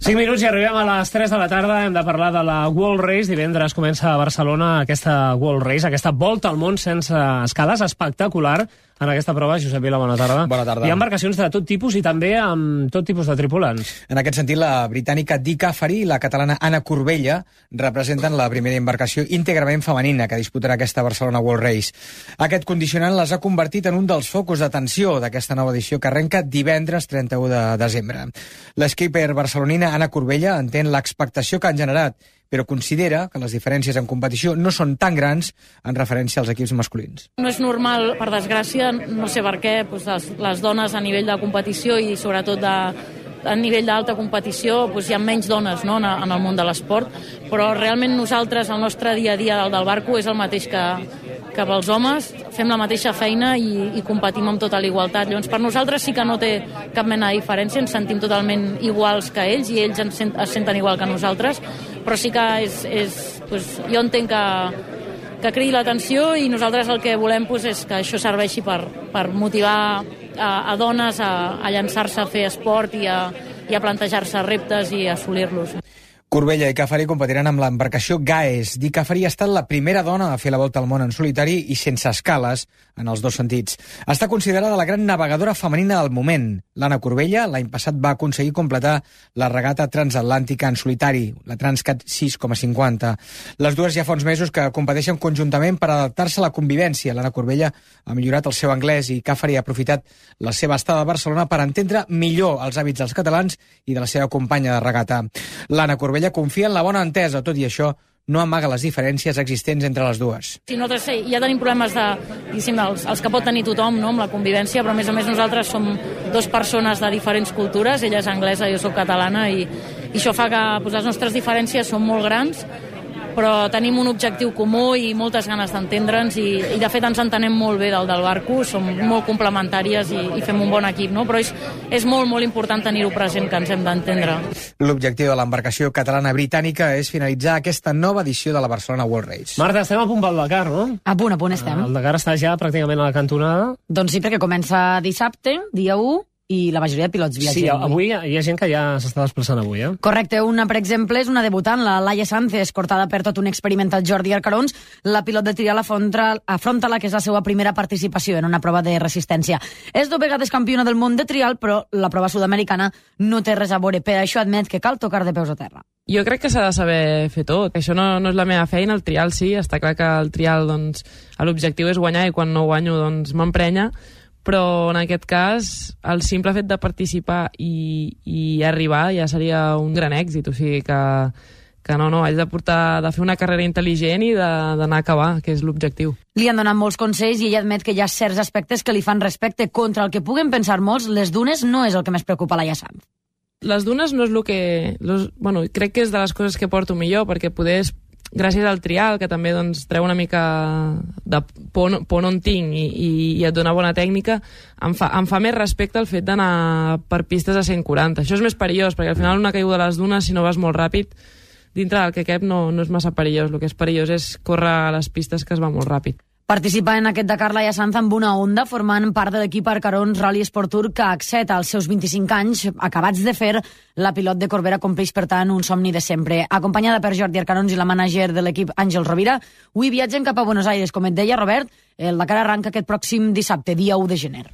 5 minuts i arribem a les 3 de la tarda. Hem de parlar de la World Race. Divendres comença a Barcelona aquesta World Race, aquesta volta al món sense escales, espectacular. En aquesta prova, Josep Vila, bona tarda. Bona tarda. Hi ha embarcacions de tot tipus i també amb tot tipus de tripulants. En aquest sentit, la britànica Dick Caffery i la catalana Anna Corbella representen la primera embarcació íntegrament femenina que disputarà aquesta Barcelona World Race. Aquest condicionant les ha convertit en un dels focus d'atenció d'aquesta nova edició que arrenca divendres 31 de desembre. L'skipper barcelonina Anna Corbella entén l'expectació que han generat, però considera que les diferències en competició no són tan grans en referència als equips masculins. No és normal, per desgràcia, no sé per què, les dones a nivell de competició i sobretot a nivell d'alta competició hi ha menys dones, no, en el món de l'esport, però realment nosaltres, el nostre dia a dia del barco és el mateix que pels homes, fem la mateixa feina i competim amb tota la igualtat. Llavors, per nosaltres sí que no té cap mena de diferència, ens sentim totalment iguals que ells i ells es senten igual que nosaltres, però sí que jo entenc que cridi l'atenció i nosaltres el que volem és que això serveixi per motivar a dones a llançar-se a fer esport i a plantejar-se reptes i assolir-los. Corbella i Caffery competiran amb l'embarcació Gaes. Dick Caffery ha estat la primera dona a fer la volta al món en solitari i sense escales, en els dos sentits. Està considerada la gran navegadora femenina del moment. L'Anna Corbella l'any passat va aconseguir completar la regata transatlàntica en solitari, la Transcat 6,50. Les dues ja fa uns mesos que competeixen conjuntament per adaptar-se a la convivència. L'Anna Corbella ha millorat el seu anglès i Caffery ha aprofitat la seva estada a Barcelona per entendre millor els hàbits dels catalans i de la seva companya de regata. L'Anna Corbella confia en la bona entesa, tot i això no amaga les diferències existents entre les dues. Sí, nosaltres ja tenim problemes els que pot tenir tothom, no, amb la convivència, però a més nosaltres som dues persones de diferents cultures, ella és anglesa, jo soc catalana, i això fa que les nostres diferències són molt grans, però tenim un objectiu comú i moltes ganes d'entendre'ns i de fet ens entenem molt bé del barco, som molt complementàries i fem un bon equip, no? Però és molt, molt important tenir-ho present, que ens hem d'entendre. L'objectiu de l'embarcació catalana-britànica és finalitzar aquesta nova edició de la Barcelona World Race. Marta, estem a punt pel Dakar, no? A punt estem. El Dakar està ja pràcticament a la cantonada. Doncs sí, perquè comença dissabte, dia 1, i la majoria de pilots viatgen. Sí, avui hi ha gent que ja s'està desplaçant avui, eh? Correcte, una, per exemple, és una debutant, la Laia Sanz, escortada per tot un experimentat Jordi Arcarons. La pilot de trial afronta la que és la seva primera participació en una prova de resistència. És 2 vegades campiona del món de trial, però la prova sud-americana no té res a veure. Per això admet que cal tocar de peus a terra. Jo crec que s'ha de saber fer tot. Això no és la meva feina, el trial sí. Està clar que el trial, l'objectiu és guanyar i quan no guanyo, m'emprenya. Però en aquest cas el simple fet de participar i arribar ja seria un gran èxit, o sigui que no, haig de fer una carrera intel·ligent i d'anar a acabar, que és l'objectiu. Li han donat molts consells i ella admet que hi ha certs aspectes que li fan respecte. Contra el que puguen pensar molts, les dunes no és el que més preocupa a Laia Sanz. Les dunes no és el que... crec que és de les coses que porto millor, perquè gràcies al trial, que també treu una mica de por on tinc i et dona bona tècnica, em fa més respecte el fet d'anar per pistes a 140. Això és més perillós, perquè al final una caiguda a les dunes, si no vas molt ràpid, dintre del que cap no és massa perillós. El que és perillós és córrer a les pistes que es va molt ràpid. Participa en aquest Dakar Laia Sanz amb una Honda, formant part de l'equip Arcarons Rally Sport Tour, que acceta als seus 25 anys, acabats de fer. La pilot de Corbera compleix, per tant, un somni de sempre. Acompanyada per Jordi Arcarons i la mànager de l'equip Àngel Rovira, avui viatgen cap a Buenos Aires. Com et deia, Robert, el Dakar arranca aquest pròxim dissabte, dia 1 de gener.